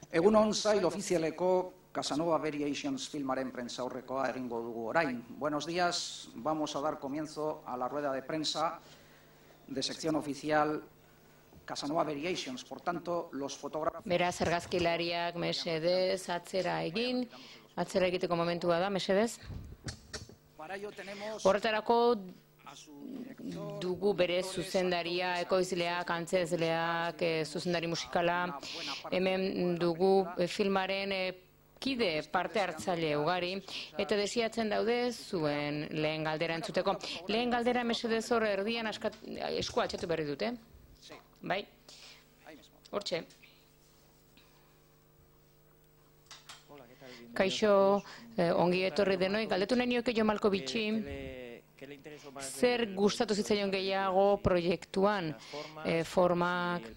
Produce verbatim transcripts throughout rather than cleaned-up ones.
Egunon zail ofizialeko Casanova Variations filmaren prentsaurrekoa egingo dugu orain. Buenos días, vamos a dar comienzo a la rueda de prensa de sección oficial Casanova Variations. Por tanto, los fotógrafos... Beraz, argazkilariak mesedez atzera egin, atzera egiteko momentua da, mesedez. Horretarako dugu bere zuzendaria, ekoizleak, antzezleak, zuzendari musikala, hemen dugu filmaren kide parte hartzaile ugari, eta desiatzen daude zuen lehen galdera entzuteko. Lehen galdera mesedez hor erdian esku altxatu berri dute. Bai, hortxe. Kaixo, ongi etorri denoi, galdetu nahi nioke Jo Malkovitxi, zer gustatu zitzaion gehiago proiektuan, formak,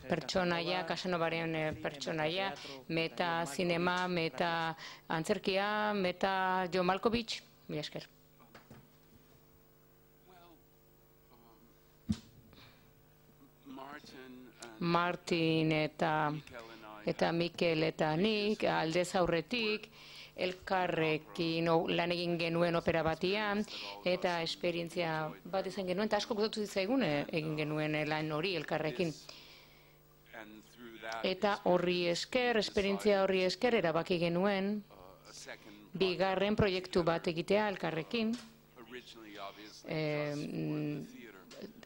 pertsonaia, Casanovaren pertsonaia, meta zinema, meta antzerkia, meta Jo Malkovitx, mila esker. Martin eta eta Mikel eta nik aldez aurretik elkarrekin lan egin genuen opera batian eta esperientzia bat izan genuen eta asko gustatu zitzaigun egin genuen lan hori elkarrekin. Eta horri esker, esperientzia horri esker erabaki genuen bigarren proiektu bat egitea elkarrekin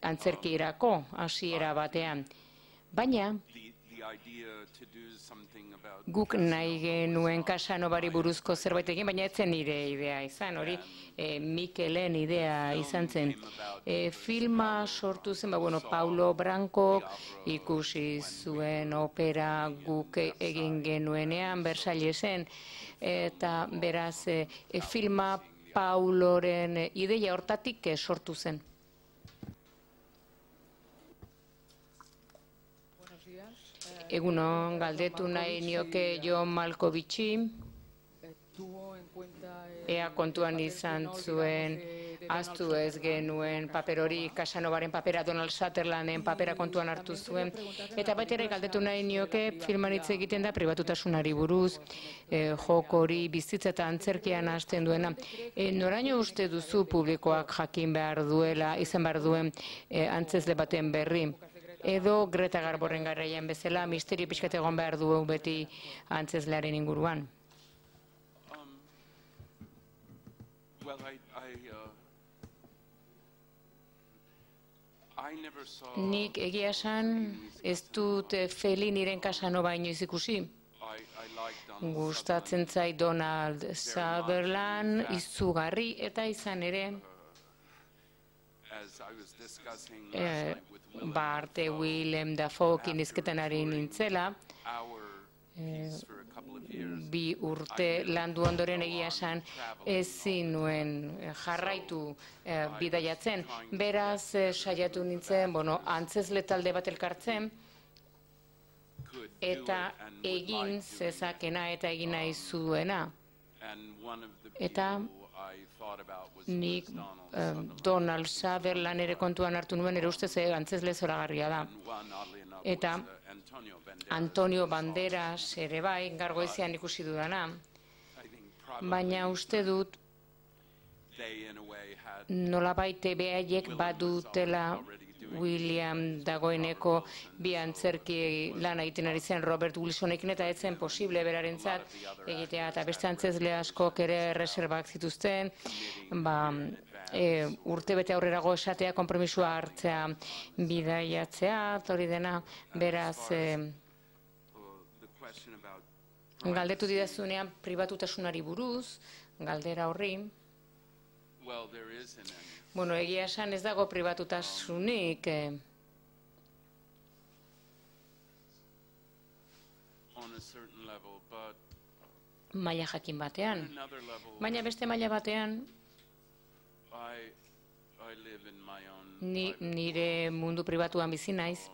antzerkirako hasiera batean. Baina, guk nahi genuen Casanovari buruzko zerbait egin, baina ez zen nire idea izan, hori Mikelen idea izan zen. Filma sortu zen, Paulo Branco ikusi zuen opera guk egin genuenean, Versaillesen, eta beraz filma Pauloren ideia hortatik sortu zen. Egunon, galdetu nahi nioke Jo Malkovitxi, ea kontuan izan zuen, ahaztu ez genuen paper hori, Casanovaren papera, Donald Sutherlanden papera kontuan hartu zuen, eta baita ere galdetu nahi nioke filman hitz egiten da pribatutasunari buruz, joko hori bizitza eta antzerkian hasten duena. Noraino uste duzu publikoak jakin behar duela, izan behar duen antzezle baten berri? Edo Greta Garborren garaian bezala, misterio pixkat egon behar du beti antzezlearen inguruan. Nik egia esan ez dut Felliniren Casanova inoiz ikusi. Gustatzen zait Donald Sutherland, izugarri eta izan ere Barte Willem Dafoekin izketan ari nintzela, bi urte landu ondoren egia esan ezin nuen jarraitu bidaiatzen. Beraz saiatu nintzen, antzezle talde bat elkartzen, eta egin zezakena eta egin nahi zuena. Eta nik Donald Sutherland ere kontuan hartu nuen, ere ustez antzezle zoragarria da. Eta Antonio Banderas ere bai, Gargoizean ikusi dudana. Baina uste dut nolabait behaiek badutela William dagoeneko bi antzerki lan egiten ari zen Robert Wilsonekin eta ez zen posible berarentzat egitea eta beste antzezle askok ere reserbak zituzten, urte bete aurrerago esatea, konpromisua hartzea bidaiatzea, hori dena, beraz galdetu didazunean pribatutasunari buruz, galdera horri. Bueno, egia esan ez dago pribatutasunik. Maila jakin batean. Baina beste maila batean, nire mundu pribatuan bizi naiz,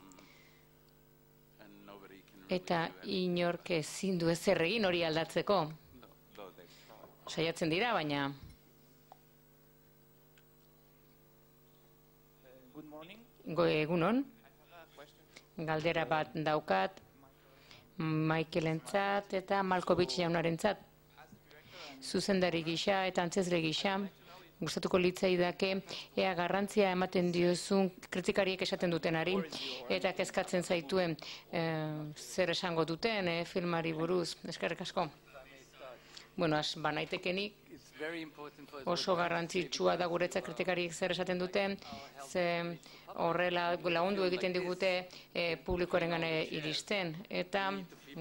eta inork ezin du ezer egin hori aldatzeko. Saiatzen dira, baina... Egunon, galdera bat daukat, Michaelentzat eta Malkovich jaunarentzat. Zuzendari gisa eta antzezle gisa, gustatuko litzaidake ea garrantzia ematen diozun kritikariek esaten dutenari eta kezkatzen zaituen zer esango duten filmari buruz. Eskerrik asko. Bueno, az, banaitekenik oso garrantzitsua da guretzat kritikariek zer esaten duten, ze horrela lagundu egiten digute publikoarengana iristen, eta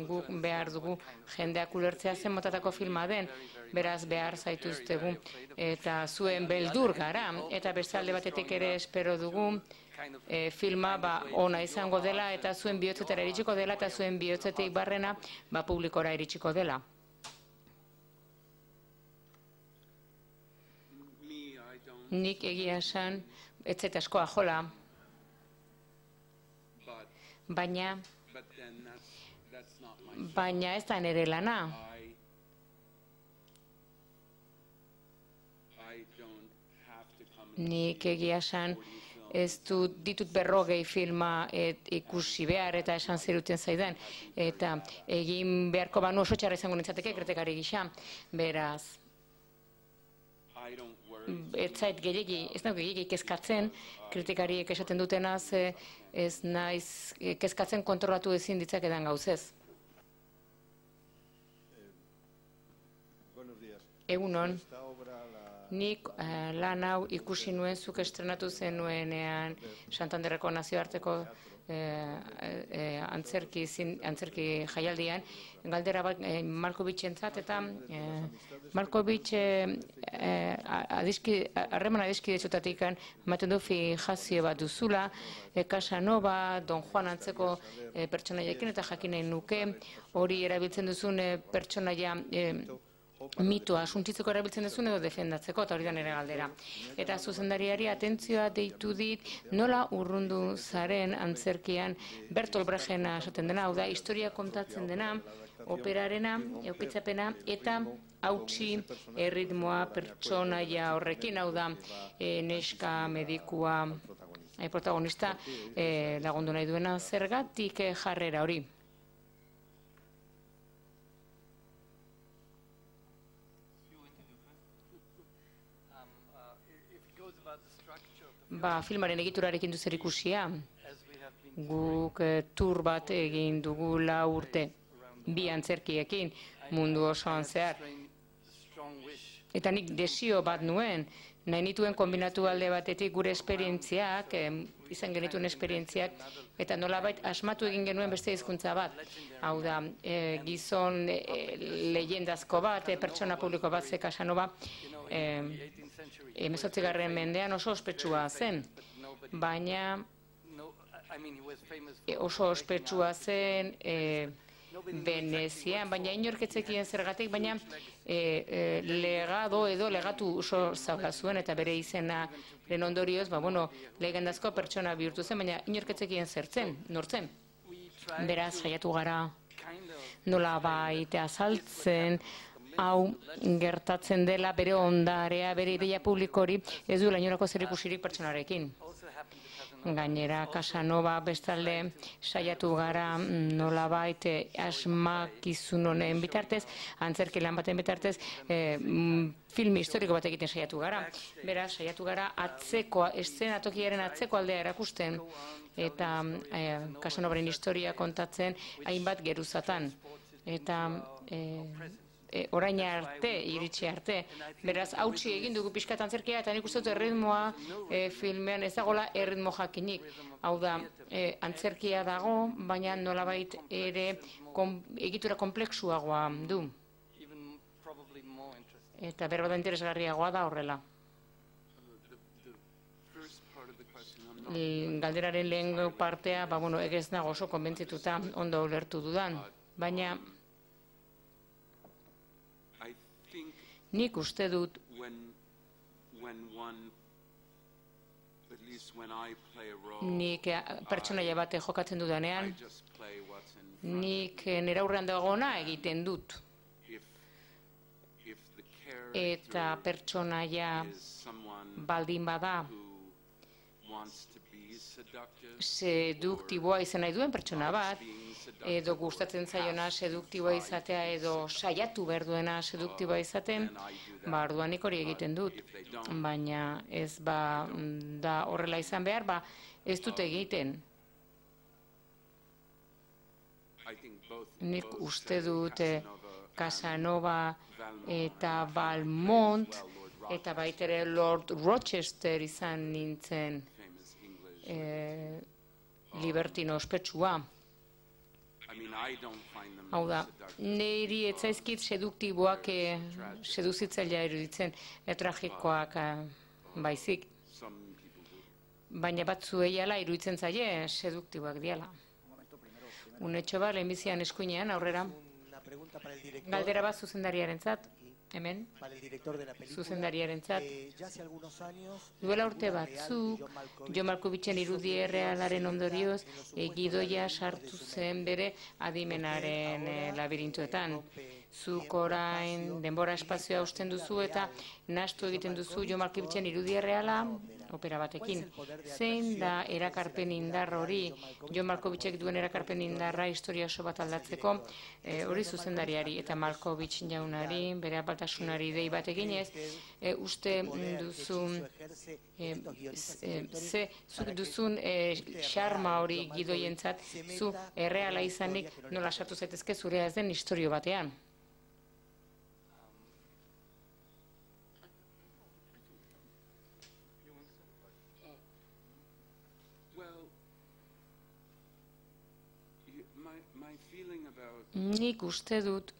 guk behar dugu jendeak ulertzea zen motatako filma den, beraz behar zaituztegu, eta zuen beldur gara, eta beste alde batetik ere espero dugu filma ona izango dela, eta zuen bihotzetara iritsiko dela, eta zuen bihotzetik barrena publikora iritsiko dela. Nik egia esan, ez zait askoa jola, baina, baina ez da nire lana. Nik egia esan, ez dut ditut berrogei filma ikusi behar eta esan zeruten zaidan, eta egin beharko banu oso txarra izango nintzateke kritikari gisa, beraz. Ez zait gehiagi, ez nago gehiagi kezkatzen, kritikariek esaten dutenaz, ez naiz kezkatzen kontrolatu ezin ditzakedan gauzez. Egunon, nik lan hau ikusi nuen zuk estrenatu zenuenean Santanderreko nazioarteko antzerki jaialdian, galdera bat Malkovichentzat, eta Malkovich harreman adiskidezutatik ematen du fijazio bat duzula, Casanova, Don Juan antzeko pertsonaiekin, eta jakin nahi nuke hori erabiltzen duzun pertsonaia mitoa suntsitzeko erabiltzen duzun edo defendatzeko, eta hori da nire galdera. Eta zuzendariari atentzioa deitu dit nola urrundu zaren antzerkian Bertolt Brechtena esaten dena, hau da, historia kontatzen dena, operarena, eukitzapena, eta hautsi erritmoa pertsonaia horrekin, hau da, neska medikua protagonista lagundu nahi duena, zergatik jarrera hori. Ba, filmaren egiturarekin du zer ikusia. Guk tur bat egin dugu lau urte, bi antzerkiekin, mundu osoan zehar. Eta nik desio bat nuen, nahi nituen kombinatu alde batetik gure esperientziak, izan genituen esperientziak, eta nolabait asmatu egin genuen beste hizkuntza bat. Hau da, gizon leyendazko bat, pertsona publiko bat, ze Casanova, hemezortzigarren mendean oso ospetsua zen, baina oso ospetsua zen Venezian, baina inorketzekien zergatik, baina legado edo legatu oso zaula zuen, eta bere izenaren ondorioz, legendazko pertsona bihurtu zen, baina inorketzekien zertzen, nortzen. Beraz, saiatu gara nola baita azaltzen, hau gertatzen dela bere ondarea, bere ideia publikori, ez duela inolako zerikusirik pertsonarekin. Gainera, Casanova bestalde saiatu gara nolabait asmakizun honen bitartez, antzerki lan baten bitartez, film historiko bat egiten saiatu gara. Beraz, saiatu gara atzeko, eszenatokiaren atzeko aldea erakusten, eta Casanovaren historia kontatzen hainbat geruzatan. Eta orain arte, iritsi arte. Beraz, hautsi egin dugu pixkat antzerkia, eta nik uste dut erritmoa filmean ez dagoela erritmo jakinik. Hau da, antzerkia dago, baina nolabait ere egitura kompleksuagoa du. Eta berbada interesgarriagoa da horrela. Galderaren lehen partea, egez nago oso konbentzituta ondo ulertu dudan, baina nik uste dut nik pertsonaia bate jokatzen dudanean, nik nire aurrean dagoena egiten dut. Eta pertsonaia baldin bada seduktiboa izan nahi duen pertsona bat, edo gustatzen zaiona seduktiboa izatea, edo saiatu behar duena seduktiboa izaten, ba, orduanik hori egiten dut. Baina ez ba da horrela izan behar, ba, ez dut egiten. Nik uste dut Casanova eta Valmont, eta baitere Lord Rochester izan nintzen e, libertino ospetsua. Hau da, niri etzaizkit seduktiboak e, seduzitzailea iruditzen, tragikoak baizik. Baina batzuei ala iruditzen zaie seduktiboak diala. Unetxo bat, lehenbizian eskuinean, aurrera. Galdera bat zuzendariarentzat, hemen, zuzendariarentzat. Duela urte batzu, Jon Malkovichen irudi errealaren ondorioz, gidoia sartu zen bere adimenaren labirintuetan. Zuk orain denbora espazioa usten duzu eta nahastu egiten duzu Jon Malkovichen irudi erreala opera batekin. Zein da erakarpen indar hori, Jon Malkovichek duen erakarpen indarra historia oso bat aldatzeko, hori zuzendariari eta Malkovich jaunari, bere apaltasunari dei bat eginez, e, uste duzu, e, e, ze, zuk duzun xarma hori gidoientzat, zu erreala izanik nola sartu zaitezke zurea ez den historio batean. Nik uste dut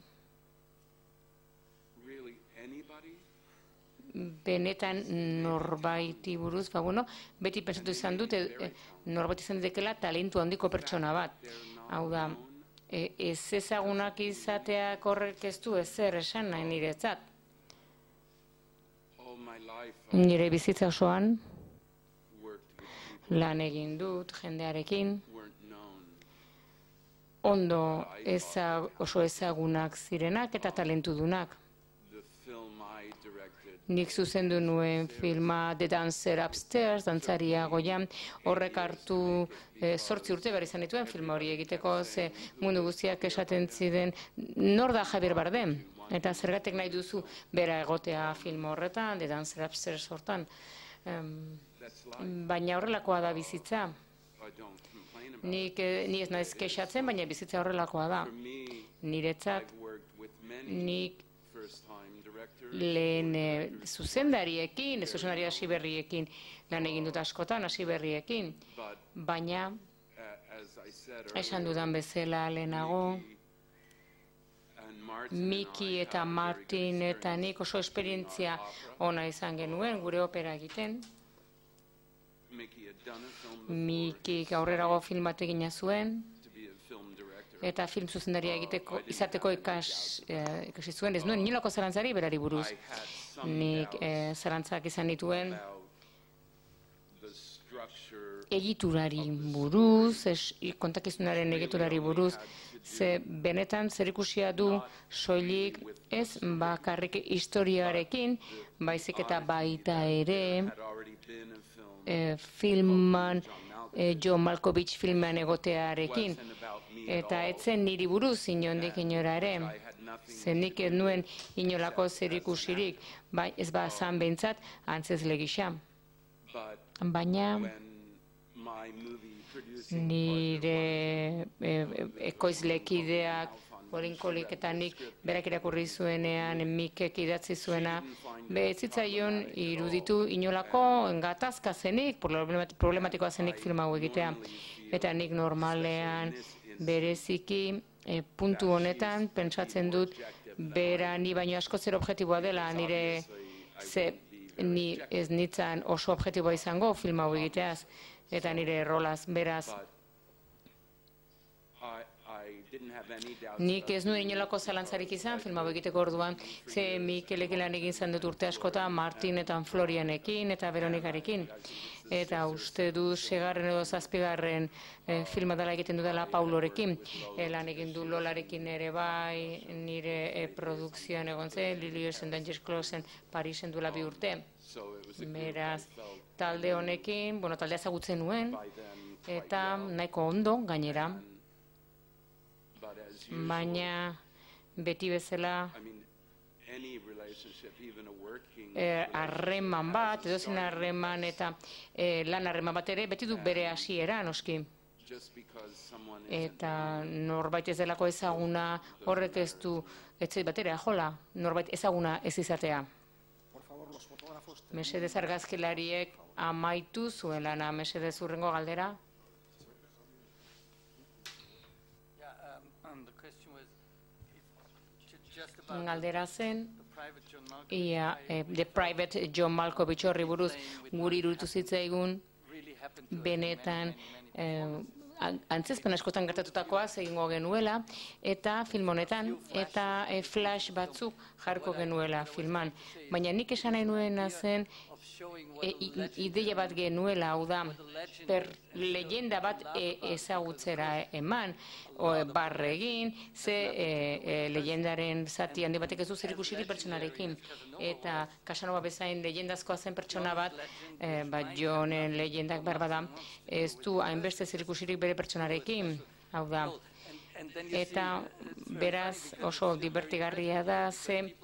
benetan norbaiti buruz, ba, bueno, beti pensatu izan dut, e, norbait izan dekela talentu handiko pertsona bat. Hau da, e, ez ezagunak izateak horrek ez du ezer esan nahi niretzat. Nire bizitza osoan lan egin dut jendearekin, ondo eza, oso ezagunak zirenak eta talentudunak. Nik zuzendu nuen filma The Dancer Upstairs, dantzaria goian, horrek hartu e, zortzi urte behar izan dituen filma hori egiteko, ze mundu guztiak esaten ziren, nor da Javier Bardem? Eta zergatik nahi duzu bera egotea film horretan, The Dancer Upstairs hortan. Um, baina horrelakoa da bizitza. Nik, ni ez naiz kexatzen, baina bizitza horrelakoa da. Niretzat, nik lehen e, zuzendariekin, zuzendari hasiberriekin lan egin dut askotan, hasiberriekin, baina esan dudan bezala lehenago, Miki eta Martin eta nik oso esperientzia ona izan genuen gure opera egiten. Mikik aurrerago film bat egina zuen, eta film zuzendaria egiteko izateko ikas, eh, ikasi zuen, ez nuen inolako zalantzari berari buruz. Nik eh, zalantzak izan dituen egiturari buruz, es, kontakizunaren egiturari buruz, ze benetan zerikusia du soilik ez bakarrik historiarekin, baizik eta baita ere e, filman, e, Jon Malkovich filman egotearekin. Eta etzen niri buruz inondik inora ere, zenik ez nuen inolako zerikusirik, bai, ez ba zan behintzat antzezle gisa. Baina nire e, ekoizlekideak, Orinkolik eta nik berak irakurri zuenean, Mikek idatzi zuena, behizitzaion iruditu inolako gatazka zenik, problematikoa zenik film hau egitea. Eta nik normalean bereziki e, puntu honetan pentsatzen dut bera ni baino asko zer objektiboa dela, nire ze ni ez nitzan oso objektiboa izango film hau egiteaz, eta nire rolaz beraz Nik ez nuen inolako zalantzarik izan, film hau egiteko orduan, ze Mikelekin lan egin zan dut urte askota, Martin eta Florianekin eta Veronikarekin. Eta uste du segarren edo zazpigarren eh, filma dela egiten dudala Paulorekin. E, lan egin du Lolarekin ere bai, nire e, produkzioan egon zen, Lilios and Dangerous Closen Parisen duela bi urte. Beraz, talde honekin, bueno, taldea ezagutzen nuen, eta nahiko ondo gainera. Baina beti bezala harreman bat, edozein harreman eta eh, lan harreman bat ere, beti du bere hasiera noski. Eta norbait ez delako ezaguna, horrek ez du, ez bat ere, ajola, norbait ezaguna ez izatea. Mesedez argazkilariek amaitu zuen lana, mesedez hurrengo galdera. Galdera zen, ia, eh, The Private John Malkovich horri buruz guri iruditu zitzaigun benetan eh, antzezpen askotan gertatutakoa egingo genuela, eta film honetan, eta eh, flash batzuk jarko genuela filman. Baina nik esan nahi nuena zen e, ideia bat genuela, hau da, per leyenda bat e, ezagutzera eman, o, barre egin, ze e, e, leyendaren zati handi batek ez du zer ikusirik pertsonarekin. Eta Casanova bezain leyendazkoa zen pertsona bat, e, bat Johnen leyendak behar bada, ez du hainbeste zer ikusirik bere pertsonarekin, hau da. Eta beraz oso divertigarria da, ze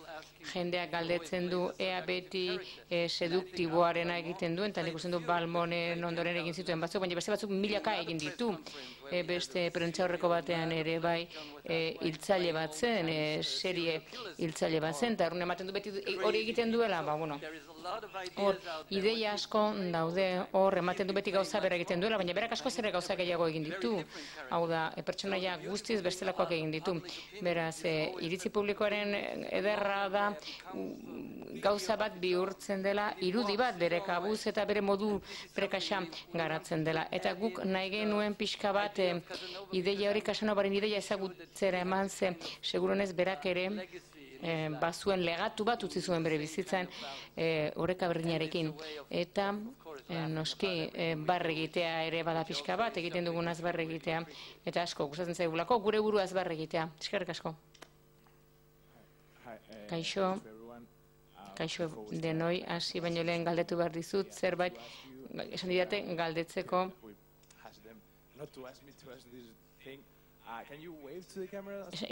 jendeak galdetzen du ea beti e, seduktiboarena egiten duen, eta nik usten du Balmonen ondoren egin zituen batzuk, baina beste batzuk milaka egin ditu. E, beste prentsaurreko batean ere bai e, hiltzaile bat zen, e, serie hiltzaile bat zen, eta errun ematen du beti hori egiten duela, ba, bueno, hor, ideia asko daude, hor, ematen du beti gauza bera egiten duela, baina berak asko zerre gauza gehiago egin ditu. Hau da, e, pertsonaia guztiz bestelakoak egin ditu. Beraz, e, iritzi publikoaren ederra da gauza bat bihurtzen dela, irudi bat bere kabuz eta bere modu prekaxa garatzen dela. Eta guk nahi genuen pixka bat e, ideia hori, Casanovaren ideia ezagutzera eman ze, seguronez berak ere e, bazuen legatu bat utzi zuen bere bizitzan e, oreka berdinarekin. Eta e, noski e, barre egitea ere bada pixka bat, egiten dugunaz barre egitea, eta asko gustatzen zaigulako gure buruaz barre egitea. Eskerrik asko. Kaixo, kaixo denoi, hasi baino lehen galdetu behar dizut, zerbait, esan didate galdetzeko.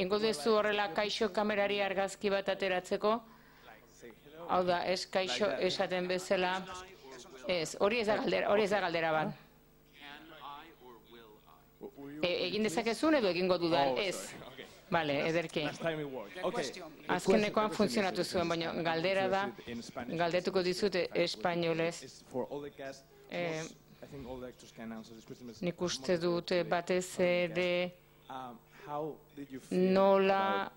Ingo duzu horrela kaixo kamerari argazki bat ateratzeko? Hau da, ez kaixo esaten bezala, ez, hori ez da galdera, hori ez da galdera bat. E, egin dezakezun edo egingo dudan, ez. Bale, ederki. Azkenekoan funtzionatu zuen, baina galdera da, galdetuko dizut espainolez. Eh, nik uste dut batez ere nola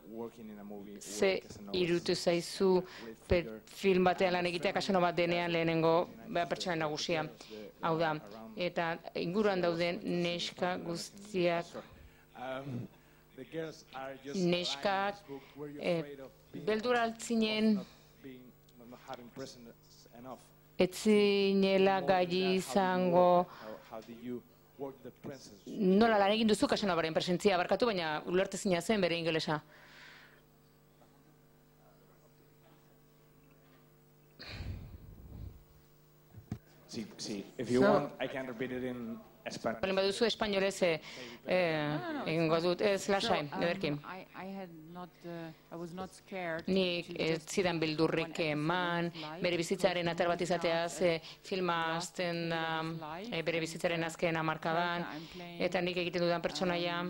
ze irutu zaizu film batean lan egitea Casanova denean lehenengo pertsona nagusia. Hau da, eta inguruan dauden neska guztiak neskak eh, beldur altzinen etzinela gai izango nola lan egin duzu Casanovaren presentzia barkatu, baina ulertezina zen bere ingelesa. Sí, sí. If you want, I can repeat it in Spanish. Balen baduzu espainolez egingo dut, ez lasai, ederki. Nik ez zidan bildurrik eman, bere bizitzaren atar bat izateaz, filma azten da bere bizitzaren azken hamarkadan, eta nik egiten dudan pertsonaia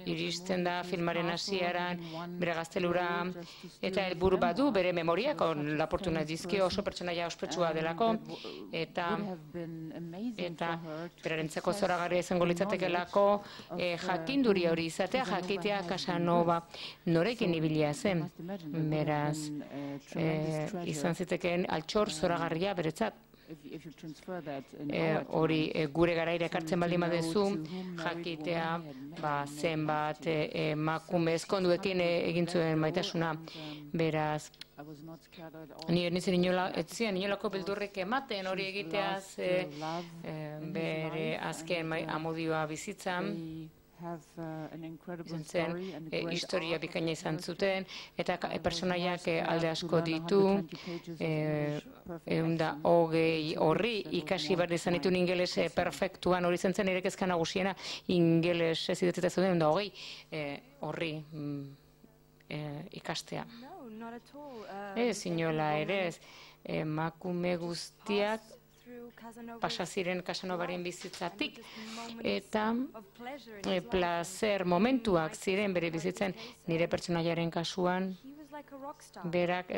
iristen da filmaren hasieran, bere gaztelura, eta helburu badu bere memoriak, laportu nahi dizkio oso pertsonaia ospetsua delako, eta eta berarentzako zoragarria izango litzatekelako jakinduri hori izatea, jakitea Casanova norekin ibilia zen. Beraz, izan zitekeen altxor zoragarria beretzat. hori gure garaira ekartzen baldin badezu, jakitea zenbat emakume ezkonduekin egin zuen maitasuna. Beraz, ni nintzen inolako beldurrik ematen hori egiteaz bere azken amodioa bizitzan. Zen, historia bikaina izan zuten, eta personaiak alde asko ditu, ehun eta hogei horri ikasi behar izan ditu ingeles perfektuan, hori zen zen ere kezka nagusiena, ingeles ez idatzita zuen ehun eta hogei horri ikastea. Ez, inola ere ez, emakume guztiak pasa ziren Casanovaren bizitzatik, eta placer momentuak ziren bere bizitzen. Nire pertsonaiaren kasuan, berak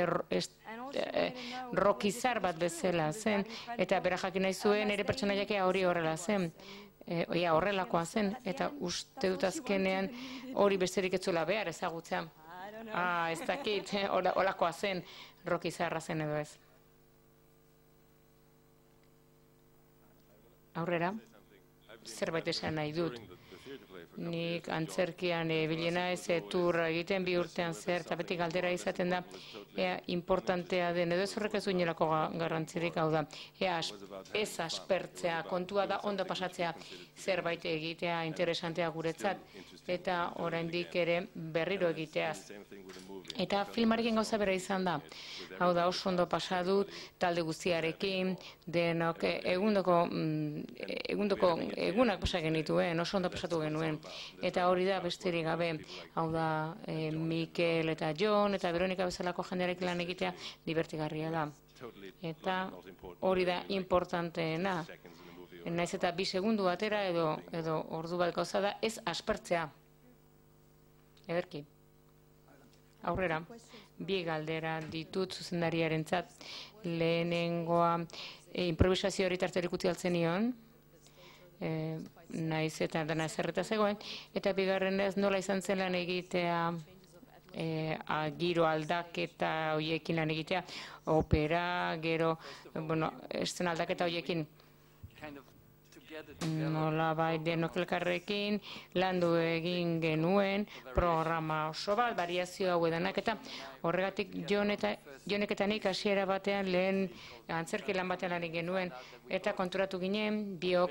rockizar bat bezala zen, eta berak jakin nahi zuen nire pertsonaiak hori horrela zen. Oia, horrelakoa zen, eta uste dut azkenean hori besterik ez zuela behar ezagutzea. Ah, ez dakit, holakoa zen, rockizarra zen edo ez. Aurrera, zerbait esan nahi dut. Nik antzerkian bilena ez turra egiten bi urtean zer, eta beti galdera izaten da, ea importantea den, edo ez horrek ez duinelako garrantzirik, hau da, ea ez aspertzea, kontua da ondo pasatzea, zerbait egitea interesantea guretzat, eta oraindik ere berriro egiteaz. Eta filmarekin gauza bera izan da, hau da oso ondo pasadut, talde guztiarekin, denok egundoko, egundoko egunak pasa genituen, oso ondo pasatu genuen. Eta hori da besterik gabe, hau da Mikel eta Jon eta Veronika bezalako jendearekin lan egitea divertigarria da. Eta hori da importanteena. Naiz eta bi segundu batera edo edo ordu bat gauza da ez aspertzea. Ederki. Aurrera, bi galdera ditut zuzendariarentzat. Lehenengoa improvisazio hori tarterik utzi altzen nion, naiz eta dena zerreta zegoen, eta bigarrenez nola izan zen lan egitea, giro aldaketa horiekin lan egitea, opera, gero, bueno, esten aldaketa horiekin, nola bai denok elkarrekin, landu egin genuen, programa oso bat, variazio hau edanak, eta horregatik Jonek eta nik hasiera batean lehen antzerki lan batean lan genuen, eta konturatu ginen, biok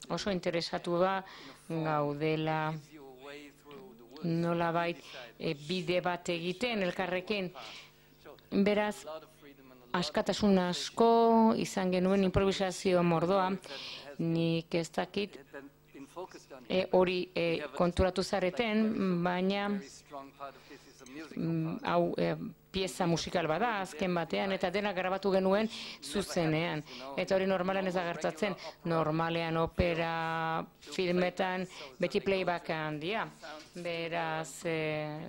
oso interesatu ba gaudela nola bai bide bat egiten elkarrekin. Beraz, askatasun asko izan genuen improvisazio mordoa, nik ez dakit hori konturatu zareten, baina hau pieza musikal bada azken batean, eta dena grabatu genuen zuzenean. Eta hori normalean ez da gertatzen, normalean opera filmetan beti playback handia. Beraz,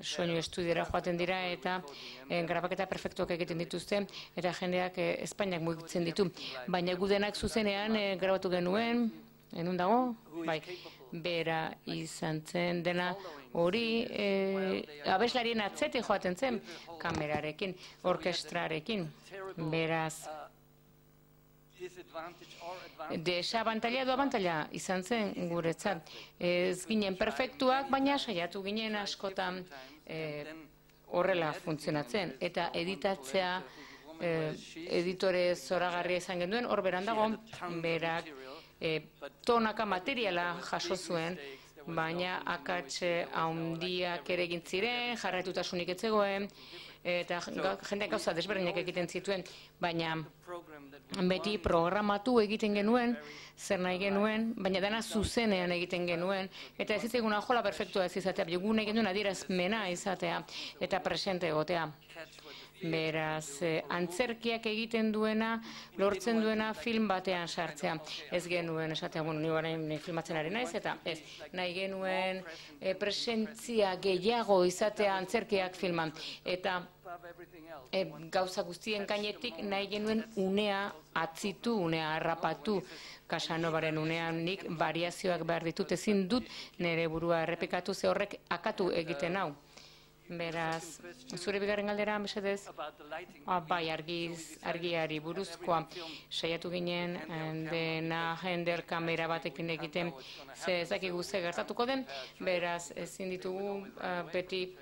soinu estudiora joaten dira eta grabaketa perfektuak egiten dituzte, eta jendeak Espainiak mugitzen ditu. Baina gudenak zuzenean grabatu genuen, enun dago? Bai, bera izan zen dena hori abeslarien atzetik joaten zen kamerarekin, orkestrarekin. Beraz, desabantaila edo abantaila izan zen guretzat. Ez ginen perfektuak, baina saiatu ginen askotan horrela funtzionatzen. Eta editatzea editore zoragarria izan genduen, hor beran dago, berak tonaka materiala jaso zuen, baina akatxe handiak ere egin ziren, jarraitutasunik ez zegoen, eta jendeak gauza desberdinak egiten zituen, baina beti programatu egiten genuen, zer nahi genuen, baina dena zuzenean egiten genuen, eta ez zitzeguna jola perfektua ez izatea, gu nahi genuen adierazmena izatea, eta presente egotea. Beraz, antzerkiak egiten duena, lortzen duena film batean sartzea. Ez genuen, esatea, bueno, ni orain filmatzen ari naiz, eta ez, nahi genuen presentzia gehiago izatea antzerkiak filman. Eta gauza guztien gainetik nahi genuen unea atzitu, unea harrapatu. Casanovaren unean nik variazioak behar ditut, ezin dut nire burua errepikatu, ze horrek akatu egiten hau. Beraz, zure bigarren galdera, mesedez? Ah, bai, argiz, argiari buruzkoa saiatu ginen dena jender kamera batekin egiten, ze ez dakigu ze gertatuko den, beraz, ezin ditugu beti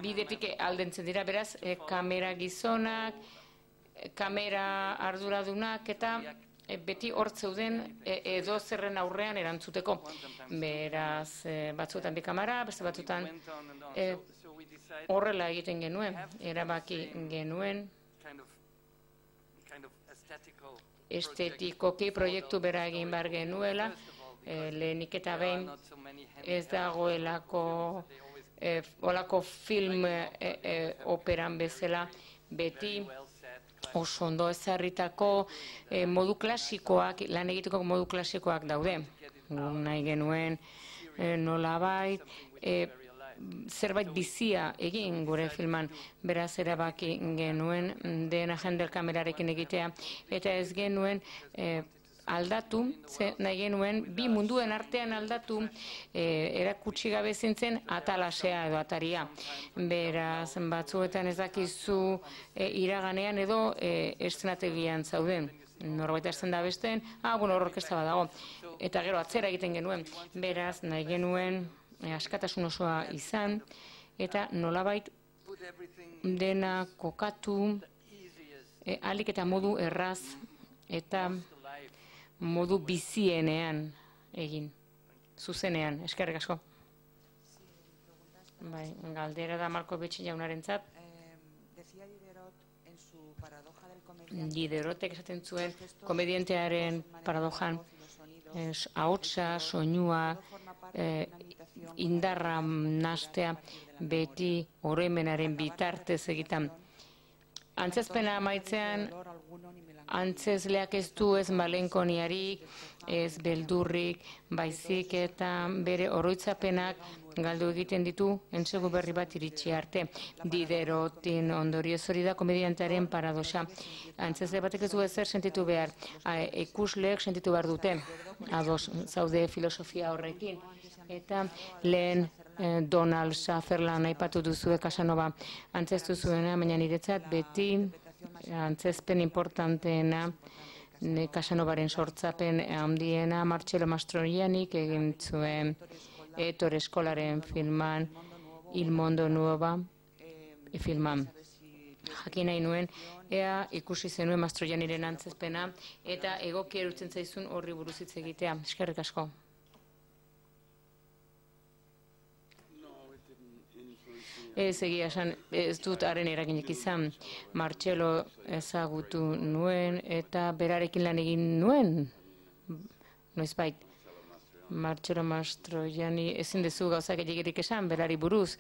bidetik aldentzen dira, beraz, kamera gizonak, kamera arduradunak eta beti hor zeuden edo zerren aurrean erantzuteko. Beraz, batzuetan bi kamera, beste batzuetan horrela egiten genuen, erabaki genuen estetikoki proiektu bera egin behar genuela, lehenik eta behin ez dagoelako olako film operan bezala beti oso ondo ezarritako modu klasikoak, lan egiteko modu klasikoak daude. Nahi genuen nolabait, zerbait bizia egin gure filman, beraz erabaki genuen dena jender kamerarekin egitea, eta ez genuen aldatu, nahi genuen bi munduen artean aldatu erakutsi gabe zintzen atalasea edo ataria. Beraz, batzuetan ez dakizu iraganean edo estrenategian zauden. Norbait hasten da besteen, ah, bueno, orkestra badago. Eta gero atzera egiten genuen. Beraz, nahi genuen askatasun osoa izan, eta nolabait dena kokatu ahalik eta modu erraz eta modu bizienean egin, zuzenean, eskerrik asko. Bai, galdera da Markovitch jaunarentzat. Diderotek esaten zuen komedientearen paradojan ahotsa, soinua, indarra nastea beti oroimenaren bitartez egitan. Antzezpena amaitzean, antzezleak ez du ez malenkoniarik, ez beldurrik, baizik eta bere oroitzapenak galdu egiten ditu entsegu berri bat iritsi arte. Diderotin ondorioz hori da komediantearen paradoxa. Antzezle batek ez du ezer sentitu behar, ikusleek sentitu behar dute, ados zaude filosofia horrekin. Eta lehen Donald Sutherland aipatu duzue Casanova antzeztu zuena, baina niretzat beti antzezpen importanteena Casanovaren sortzapen handiena Marcello Mastroiannik egin zuen Ettore Scolaren filman Il Mondo Nuova filman. Jakin nahi nuen, ea ikusi zenuen Mastroianniren antzezpena eta egoki erutzen zaizun horri buruz hitz egitea. Eskerrik asko. Ez egia esan, ez dut haren eraginik izan. Marcello ezagutu nuen eta berarekin lan egin nuen. Noizbait, Marcello Mastroianni ezin dezu gauzak egirik esan, berari buruz.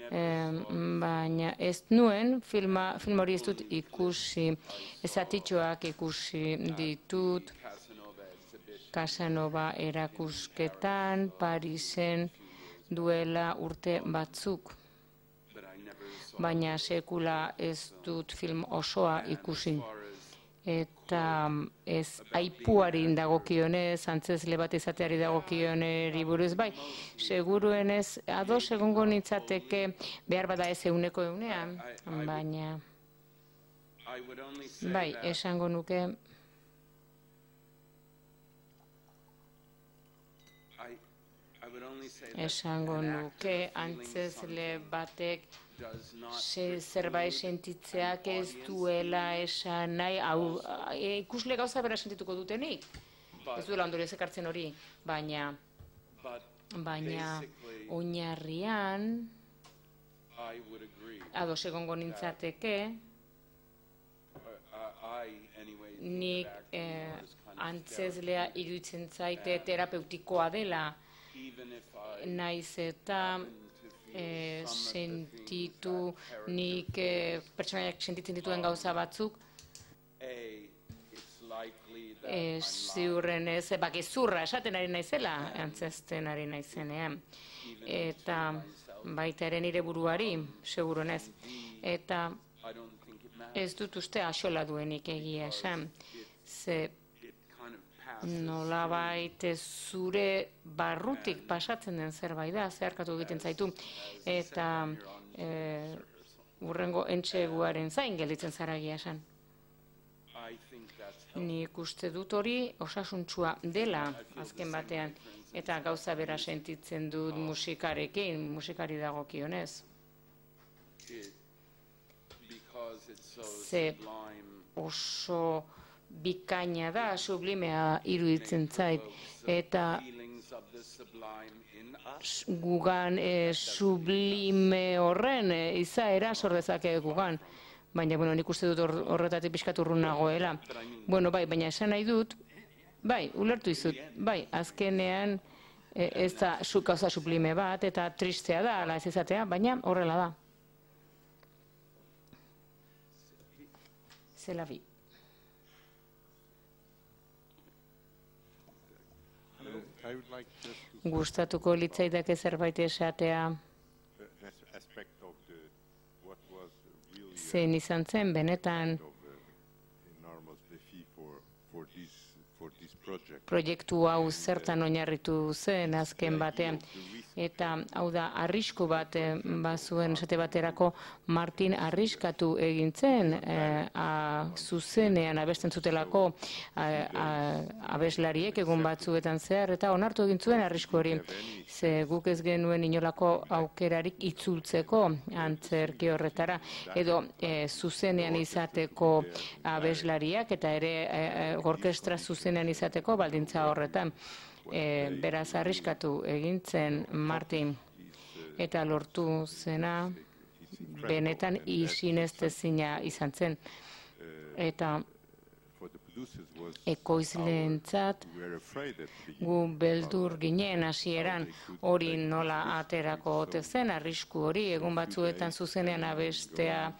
Baina ez nuen, film hori ez dut ikusi, ezatitxoak ikusi ditut, Casanova erakusketan, Parisen duela urte batzuk. Baina sekula ez dut film osoa ikusi. Eta ez aipuari dagokionez, antzezle bat izateari dagokioneri buruz, bai, seguruenez ados egongo nintzateke behar bada ez euneko eunean, baina bai, esango nuke esango nuke antzezle batek zerbait sentitzeak ez duela esan nahi, ikusle gauza bera sentituko dutenik, ez duela ondorioz ekartzen hori, baina baina oinarrian ados egongo nintzateke nik antzezlea iruditzen zaite terapeutikoa dela, naiz eta sentitu nik pertsonaiak sentitzen dituen gauza batzuk ziurren ez, gezurra esaten ari naizela antzezten ari naizenean eta baita ere nire buruari segururen ez eta ez dut uste axola duenik egia esan ze nolabait zure barrutik pasatzen den zerbait da, zeharkatu egiten zaitu, eta urrengo entseguaren zain gelditzen zara egia esan. Nik uste dut hori osasuntsua dela azken batean, eta gauza bera sentitzen dut musikarekin, musikari dagokionez. Ze oso bikaina da, sublimea iruditzen zait, eta gugan sublime horren izaera sor dezake gugan. Baina, bueno, nik uste dut horretatik pixkat urrun nagoela. Bueno, bai, baina esan nahi dut, bai, ulertu izut, bai, azkenean ez da gauza sublime bat, eta tristea da, ala ez izatea, baina horrela da. Zela bi. Gustatuko litzaidake zerbait esatea zein izan zen benetan proiektu hau zertan oinarritu zen azken batean. Eta hau da, arrisku bat bazuen esate baterako Martin arriskatu egin zen zuzenean abesten zutelako abeslariek egun batzuetan zehar, eta onartu egin zuen arrisku hori. Ze guk ez genuen inolako aukerarik itzultzeko antzerki horretara, edo zuzenean izateko abeslariak, eta ere orkestra zuzenean izateko baldintza horretan. Beraz arriskatu egin zen Martin, eta lortu zena benetan isinestezina izan zen. Eta ekoizleentzat gu beldur ginen hasieran hori nola aterako ote zen, arrisku hori egun batzuetan zuzenean abestea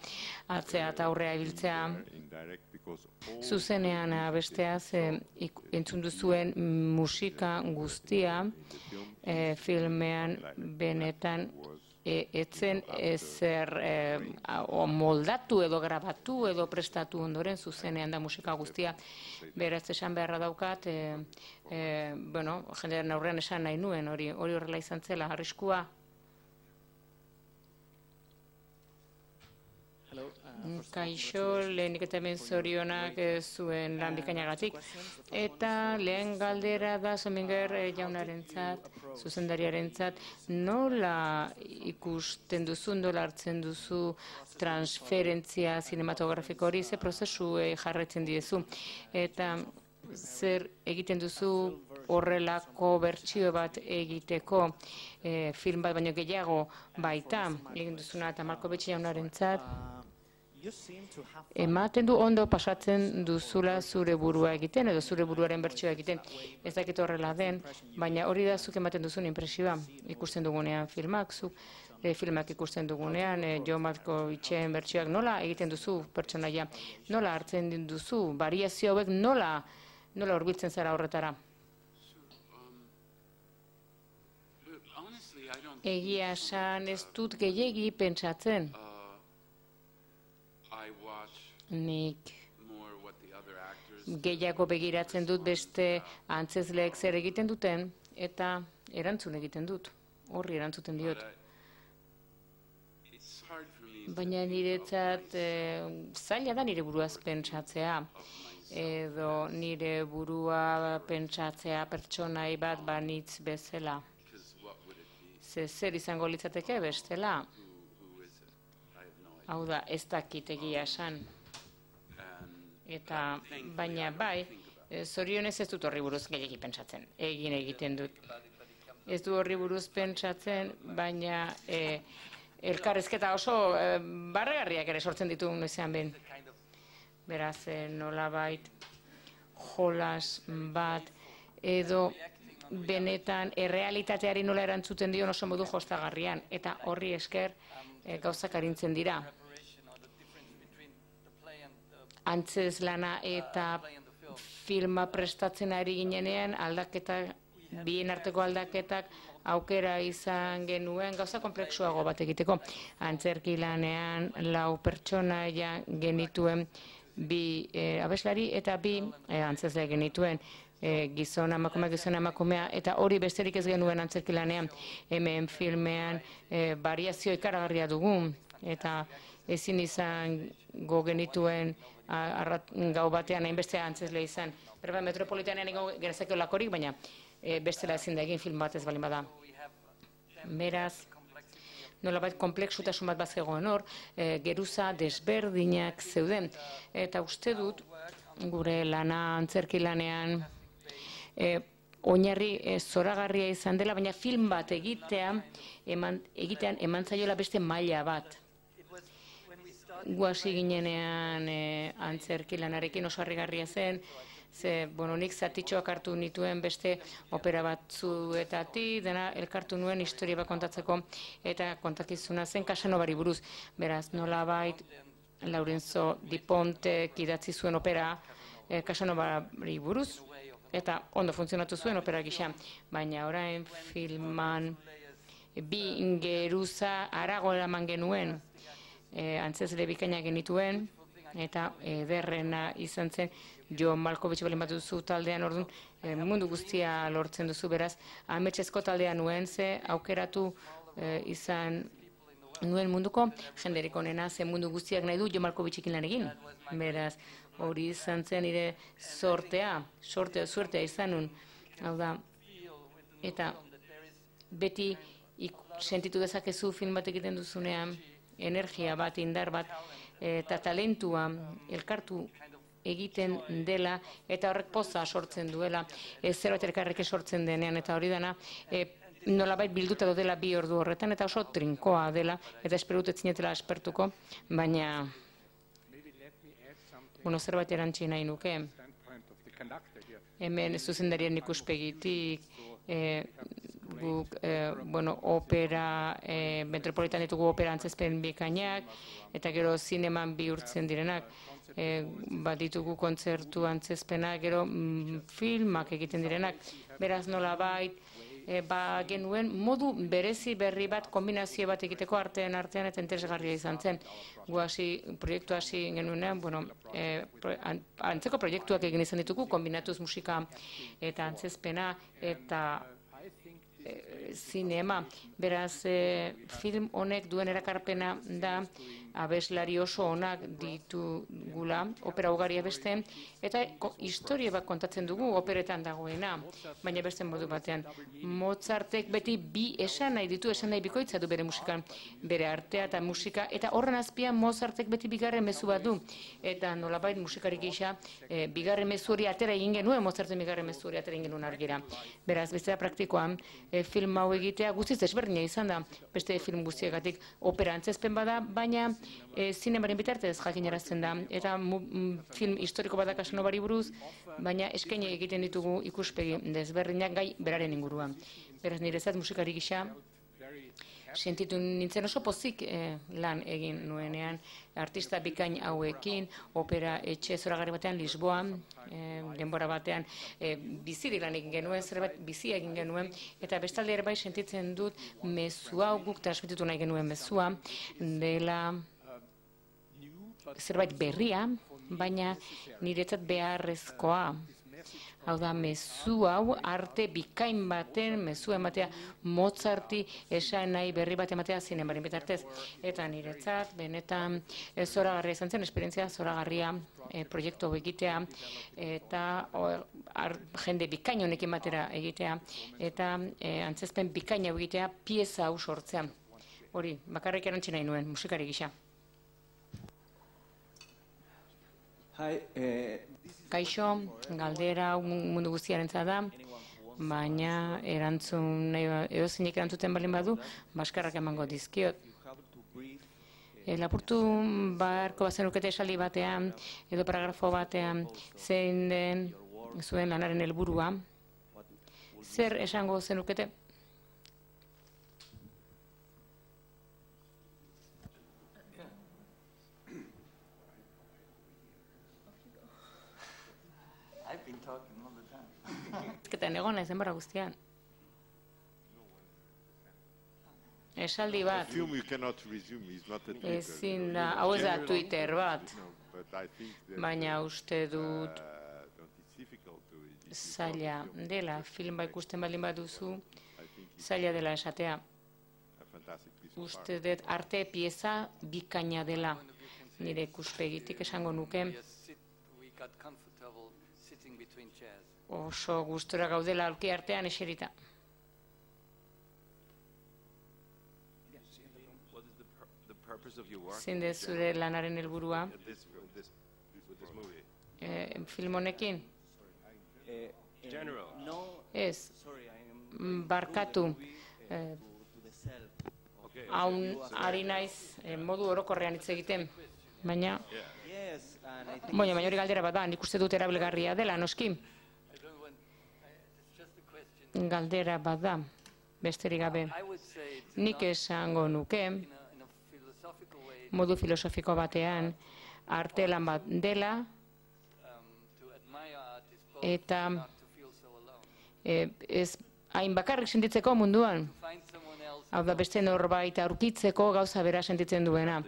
atzea eta aurrea ibiltzea. Zuzenean abestea ze entzun duzuen musika guztia filmean benetan etzen ezer moldatu edo grabatu edo prestatu ondoren zuzenean da musika guztia. Beraz esan beharra daukat, bueno, jendearen aurrean esan nahi nuen hori horrela izan zela, arriskua. Kaixo, lehenik eta hemen zorionak zuen lan bikainagatik. Eta lehen galdera da Sominger jaunarentzat, zuzendariarentzat, nola ikusten duzu, nola hartzen duzu transferentzia zinematografiko hori, ze prozesu jarretzen diezu. Eta zer egiten duzu horrelako bertsio bat egiteko film bat baino gehiago baita, egin duzuna eta Malkovich jaunarentzat, ematen du ondo pasatzen duzula zure burua egiten, edo zure buruaren bertsioa egiten. Ez dakit horrela den, baina hori da zuk ematen duzun impresioa. Ikusten dugunean filmak, zuk filmak ikusten dugunean, Jo Malkovichen bertsioak nola egiten duzu pertsonaia, nola hartzen duzu, variazio hauek nola nola hurbiltzen zara horretara. Egia esan ez dut gehiegi pentsatzen. Nik gehiago begiratzen dut beste antzezleek zer egiten duten, eta erantzun egiten dut, horri erantzuten diot. Baina niretzat zaila da nire buruaz pentsatzea, edo nire burua pentsatzea pertsonai bat banitz bezala. Zer izango litzateke bestela? Hau da, ez dakit egia esan. Eta, baina bai, zorionez ez dut horri buruz gehiagi pentsatzen, egin egiten dut. Ez du horri buruz pentsatzen, baina elkarrezketa oso barregarriak ere sortzen ditu noizean behin. Beraz, nolabait jolas bat, edo benetan errealitateari nola erantzuten dion oso modu jostagarrian, eta horri esker gauzak arintzen dira. Antzez lana eta filma prestatzen ari ginenean aldaketak, bien arteko aldaketak aukera izan genuen gauza kompleksuago bat egiteko. Antzerki lanean lau pertsonaia genituen bi abeslari eta bi antzezle genituen. e, gizona emakumea, gizona emakumea, eta hori besterik ez genuen antzerkilanean, hemen filmean e, variazio ikaragarria dugu, eta ezin izan go genituen arrat, gau batean hainbeste antzesle izan. Berba metropolitanean ego genezakio lakorik, baina e, bestela ezin da egin film batez balin bada. Beraz, nolabait komplexutasun bat bat zegoen hor, e, geruza desberdinak zeuden. Eta uste dut, gure lana antzerki lanean, e, oinarri e, zoragarria izan dela, baina film bat egitea, eman, egitean eman zaiola beste maila bat. Guasi ginenean e, antzerki lanarekin oso harrigarria zen, ze, bueno, nik zatitxoak hartu nituen beste opera batzuetatik, dena elkartu nuen historia bat kontatzeko, eta kontakizuna zen Casanovari buruz. Beraz, nolabait, Laurenzo Di Pontek idatzi zuen opera eh, Casanovari buruz, eta ondo funtzionatu zuen opera gisa, baina orain filman bi geruza harago eraman genuen, e, antzezle bikaina genituen, eta ederrena izan zen, Jo Malkovich balin bat duzu taldean, orduan e, mundu guztia lortzen duzu, beraz, ametxezko taldea nuen, ze aukeratu e, izan nuen munduko, jenderik onena, ze mundu guztiak nahi du Jo Malkovichekin lan egin, beraz, hori izan zen nire sortea, sortea, suertea izan nun, hau da, eta beti ik, sentitu dezakezu film bat egiten duzunean, energia bat, indar bat, eta talentua elkartu egiten dela, eta horrek poza sortzen duela, e, zerbait elkarrek sortzen denean, eta hori dena, e, nolabait bilduta dela bi ordu horretan, eta oso trinkoa dela, eta espero dut ez zinetela aspertuko, baina, bueno, zerbait erantzi nahi nuke, hemen zuzendarien ikuspegitik, e, guk, e, bueno, opera, e, metropolitan ditugu opera antzezpen bikainak, eta gero zineman bihurtzen direnak, e, bat ditugu kontzertu antzezpenak, gero mm, filmak egiten direnak, beraz nolabait, e, ba genuen modu berezi berri bat, kombinazio bat egiteko artean artean eta interesgarria izan zen. Gu hasi, proiektu hasi genuenean, bueno, e, pro, an, antzeko proiektuak egin izan ditugu, kombinatuz musika eta antzezpena eta e, zinema. Beraz, e, film honek duen erakarpena da, abeslari oso onak ditugula, opera ugari beste, eta historia bat kontatzen dugu operetan dagoena, baina beste modu batean. Mozartek beti bi esan nahi ditu, esan nahi bikoitza du bere musikan, bere artea eta musika, eta horren azpian Mozartek beti bigarren mezu bat du, eta nolabait musikarik gisa, e, bigarren mezu hori atera egin genuen, Mozarten bigarren mezu hori atera egin genuen argira. Beraz, beste da praktikoan, e, film hau egitea guztiz desberdina izan da, beste film guztiagatik opera antzezpen bada, baina E, zinemaren bitartez jakinarazten da, eta mu, m, film historiko bat da Casanovari buruz, baina eskaini egiten ditugu ikuspegi desberdinak gai beraren inguruan. Beraz, niretzat musikari gisa, sentitu nintzen oso pozik e, lan egin nuenean, artista bikain hauekin, opera etxe zoragarri batean Lisboan, e, denbora batean e, bizirik lan egin genuen, zerbait bizi egin genuen, eta bestalde ere bai sentitzen dut mezu hau guk transmititu nahi genuen mezua, dela zerbait berria, baina niretzat beharrezkoa. Hau da, mezu hau arte bikain baten, mezu ematea Mozarti esan nahi berri bat ematea zinemaren bitartez. Eta niretzat, benetan zoragarria izan zen, esperientzia zoragarria e, proiektu egitea, eta o, ar, jende bikain honekin batera egitea, eta e, antzezpen bikaina egitea, pieza hau sortzea. Hori, bakarrik erantzi nahi nuen, musikari gisa. Kaixo, galdera mundu guztiarentzat da, baina erantzun, edozinik erantzuten balin badu, baskarrak emango dizkiot. E, lapurtu beharko bazenukete esaldi batean, edo paragrafo batean, zein den zuen lanaren helburua, zer esango zenukete? Ezketan egon naiz denbora guztian. Esaldi bat. Ezin da, hau ez da Twitter bat. Baina uste dut zaila dela, filma ikusten baldin baduzu, zaila dela esatea. Uste dut arte pieza bikaina dela, nire ikuspegitik esango nuke. Oso gustura gaudela aulki artean eserita. Zein da zure lanaren helburua? Eh, film honekin? Ez, barkatu. Eh, haun ari naiz eh, modu orokorrean hitz egiten, baina baina baina hori galdera bat da, nik uste dut erabilgarria dela, noski. Galdera bat da, besterik gabe. Nik esango nuke, modu filosofiko batean, arte lan bat dela, eta eh, ez hain bakarrik sentitzeko munduan. Hau da, beste norbait aurkitzeko gauza bera sentitzen duena.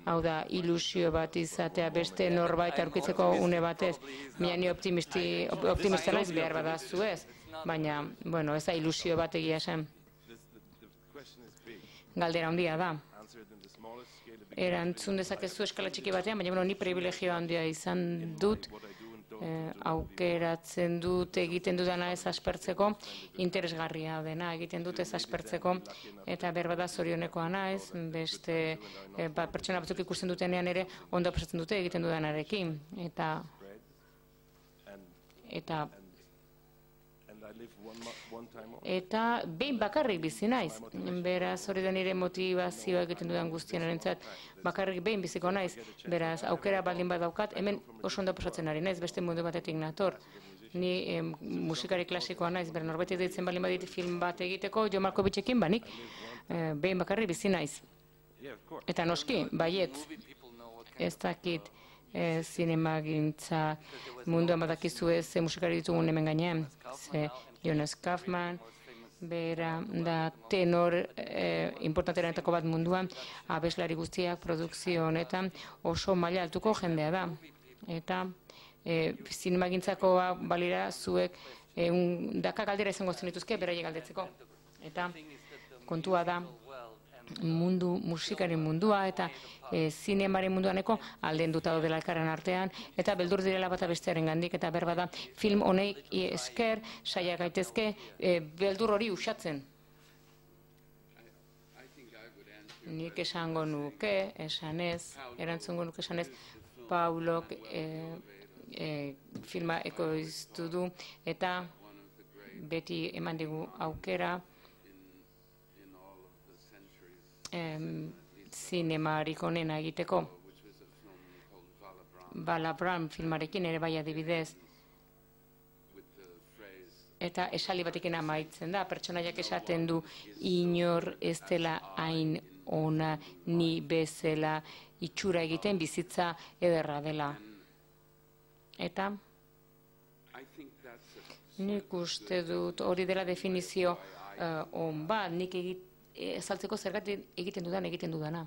Hau da, ilusio bat izatea beste norbait aurkitzeko une batez. Mila ni optimista naiz behar badazu ez. Baina, bueno, ez da ilusio bat egia zen. Galdera handia da. Erantzun dezakezu eskala txiki batean, baina bueno, ni privilegio handia izan dut. Eh, aukeratzen dut egiten dudana ez aspertzeko, interesgarria dena egiten dut ez aspertzeko, eta berbada zorionekoa naiz, beste eh, ba, pertsona batzuk ikusten dutenean ere ondo pasatzen dute egiten dudanarekin, eta eta eta behin bakarrik bizi naiz, beraz hori da nire motivazioa egiten dudan guztiarentzat, bakarrik behin biziko naiz, beraz aukera baldin badaukat, hemen oso ondo pasatzen ari naiz, beste mundu batetik nator. Ni eh, musikari klasikoa naiz, bera norbait ditzen baldin badit film bat egiteko, Jo Malkovitchekin banik, eh, behin bakarrik bizi naiz. Eta noski, baietz, ez dakit, E, zinemagintza munduan badakizue ze musikari ditugun hemen gainean. Ze Jonas Kaufman, bera da tenor e, importanterenetako bat munduan, abeslari guztiak produkzio honetan oso maila altuko jendea da. Eta e, zinemagintzako balira zuek e, un, daka galdera izango zenituzke beraiek galdetzeko. Eta kontua da, mundu, musikaren mundua eta e, zinemaren munduaneko aldenduta daudela elkarren artean, eta beldur direla bata bestearen gandik, eta berba da, film honek esker, saia gaitezke, e, beldur hori usatzen. Nik esango nuke, esanez, erantzungo nuke esanez, Paulok e, e, filma ekoiztu du, eta beti eman digu aukera, Em, zinemarik onena egiteko. Vala Brown filmarekin ere bai adibidez. Eta esali batekin amaitzen da, pertsonaiak esaten du inor ez dela hain ona ni bezala itxura egiten bizitza ederra dela. Eta nik uste dut hori dela definizio uh, on bat, nik egit ezaltzeko zergatik egiten dudan egiten dudana.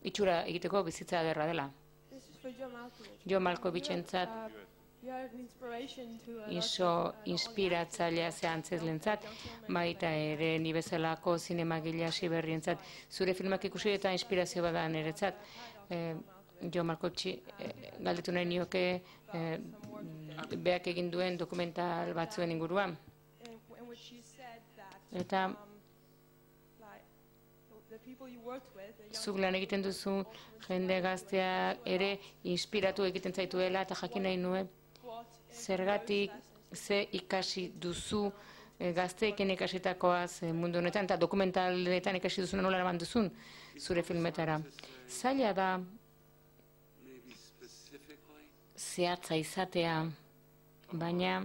Itxura egiteko bizitza ederra dela. Jo Malkovichentzat iso inspiratzailea ze antzezlentzat, baita ere ni bezalako zinemagile hasi berrientzat. Zure filmak ikusi eta inspirazio bada niretzat. Eh, Jo Malkovich eh, galdetu nahi nioke eh, beak egin duen dokumental batzuen inguruan. Eta zuk lan egiten duzu jende gaztea ere inspiratu egiten zaituela, eta jakin nahi nuen zergatik ze ikasi duzu e, gazteekin ikasitakoaz e, mundu honetan, eta dokumentaletan ikasi duzuna nola eraman duzun zure filmetara. Zaila da zehatza izatea, baina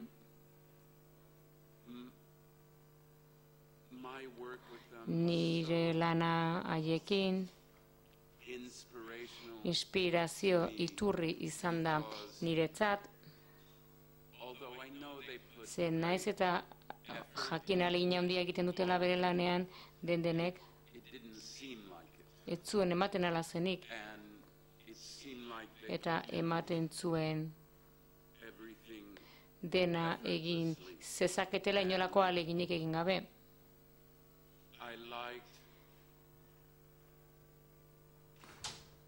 nire lana haiekin inspirazio iturri izan da niretzat, ze naiz eta jakin ahalegin handia egiten dutela bere lanean den denek, ez zuen ematen ala zenik, eta ematen zuen dena egin zezaketela inolako ahaleginik egin gabe. I liked,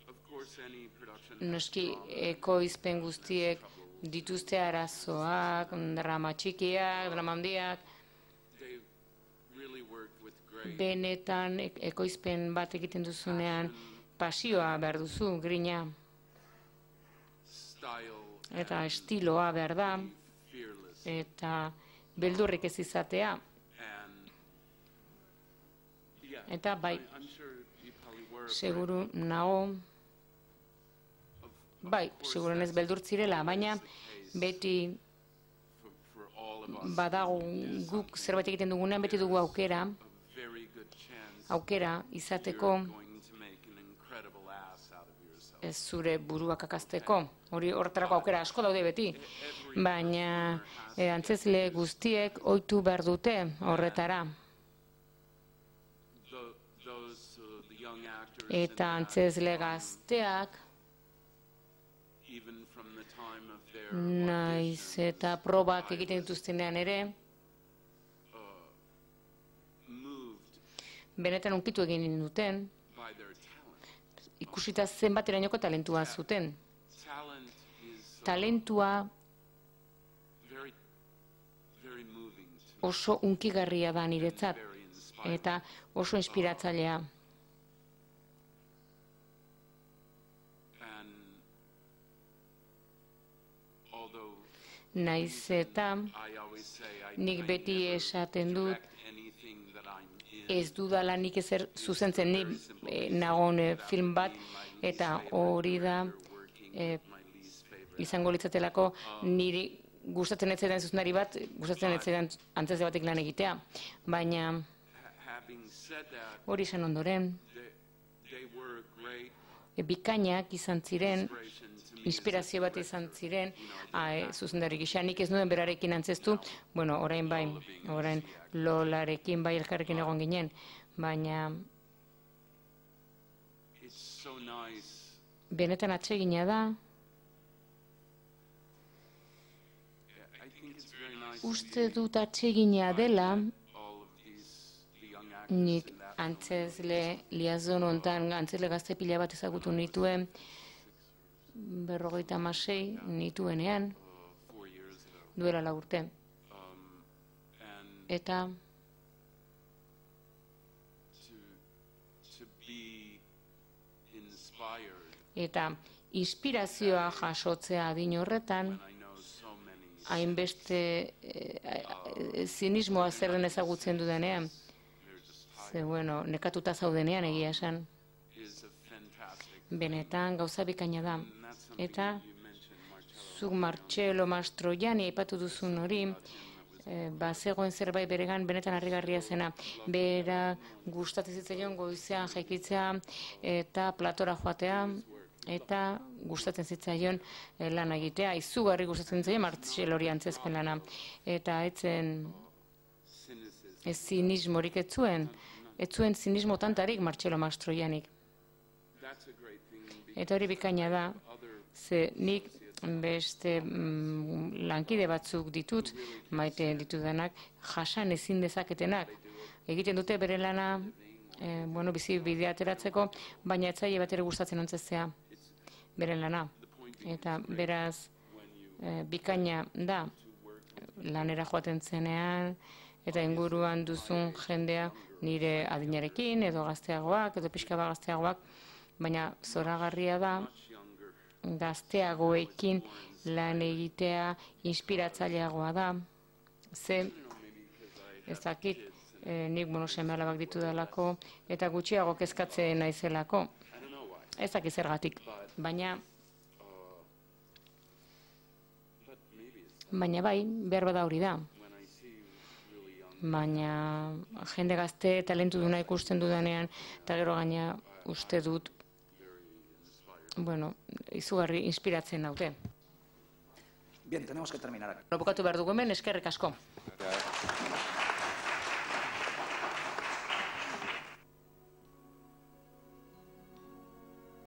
of course, any production has Noski, drama. ekoizpen guztiek dituzte arazoak, drama txikiak, drama handiak, They really worked with great benetan e- ekoizpen bat egiten duzunean pasioa behar duzu, grina, style eta and estiloa behar da, fearless. eta beldurrik ez izatea. And yeah, Eta bai, I- I'm sure you probably were afraid seguru nago, of- of bai, course seguren ez that's beldurtzirela, baina always the case beti for, for all of us. badago guk zerbait egiten dugunean beti dugu aukera, A very good chance aukera izateko you're going to make an incredible ass out of yourself. ez zure buruak akasteko. Hori horretarako aukera asko daude beti. Baina eh, antzezle guztiek ohitu behar dute horretara. Tho- those, uh, the young actors Eta in that, antzezle gazteak even from the time of their naiz auditions, eta probak egiten dituztenean ere, moved benetan unkitu egin duten, by their talent. ikusita zenbaterainoko talentua zuten. Talent is uh, Talentua very, very moving to me, oso unkigarria da niretzat, very inspiring. eta oso inspiratzailea. And although Naiz eta I always say I, nik I beti never esaten dut, direct anything that I'm in. ez dudala nik ezer zuzentzen, ni eh, nagon eh, film bat, eta hori da eh, My least favorite. izango litzatelako niri gustatzen ez zaidan zuzendari bat, gustatzen ez zaidan antzezle batek lan egitea. Baina Ha- Having said that, hori izan ondoren, they, they were a great e, bikainak izan ziren, inspiration to me as a inspirazio bat director. izan ziren, a, e, zuzendari gisa. Nik ez nuen berarekin antzestu, bueno, orain bai, orain Lolarekin bai elkarrekin egon ginen, baina It's so nice. benetan atsegina da, I think it's very nice uste dut atsegina dela, all of these the young actors nik in that antzezle liazon hontan, antzezle gazte pila bat ezagutu nituen, berrogeita hamasei nituenean, uh, four years ago. duela lau urte. Um, and Eta to to be inspired eta inspirazioa jasotzea adin horretan, when I know so many hainbeste eh, eh, zinismoa zer den ezagutzen dudanean, they're just ze bueno, nekatuta zaudenean egia esan, is a fantastic. benetan gauza bikaina da. And that's something Eta you mentioned, Marcello. zuk Marcello Mastroianni aipatu duzun hori, eh, bazegoen zerbait beregan benetan harrigarria zena. Bera gustatzen zitzaion goizean jaikitzea eta platora joatea, eta gustatzen zitzaion eh, lan egitea. Izugarri gustatzen zitzaion Marcello hori antzezpen lana. Eta etzen Cynicism. ez zinismorik ez zuen, ez zuen zinismo tantarik Marcello Mastroiannik. That's a great thing. Because Eta hori bikaina da, other ze nik beste mm, lankide batzuk ditut, maite ditudanak, jasan ezin dezaketenak. Egiten dute bere lana, eh, bueno, bizi bidea ateratzeko, baina etzaile bat ere gustatzen antzeztea bere lana. Eta beraz, eh, bikaina da, lanera joaten zenean, eta inguruan duzun jendea nire adinarekin, edo gazteagoak, edo pixka bat gazteagoak, baina zoragarria da, much younger. gazteagoekin lan egitea inspiratzaileagoa da. Ze, ez dakit, eh, nik bueno, seme alabak ditudalako, eta gutxiago kezkatzen naizelako. I don't know why. Ez dakit zergatik. Baina, But maybe it's baina bai, behar bada hori da. when I see really young. Baina jende gazte talentu duna ikusten dudanean, eta gero gaina uste dut, bueno, izugarri inspiratzen naute. Bien, tenemos que terminar aquí. Bukatu behar dugu hemen, eskerrik asko. That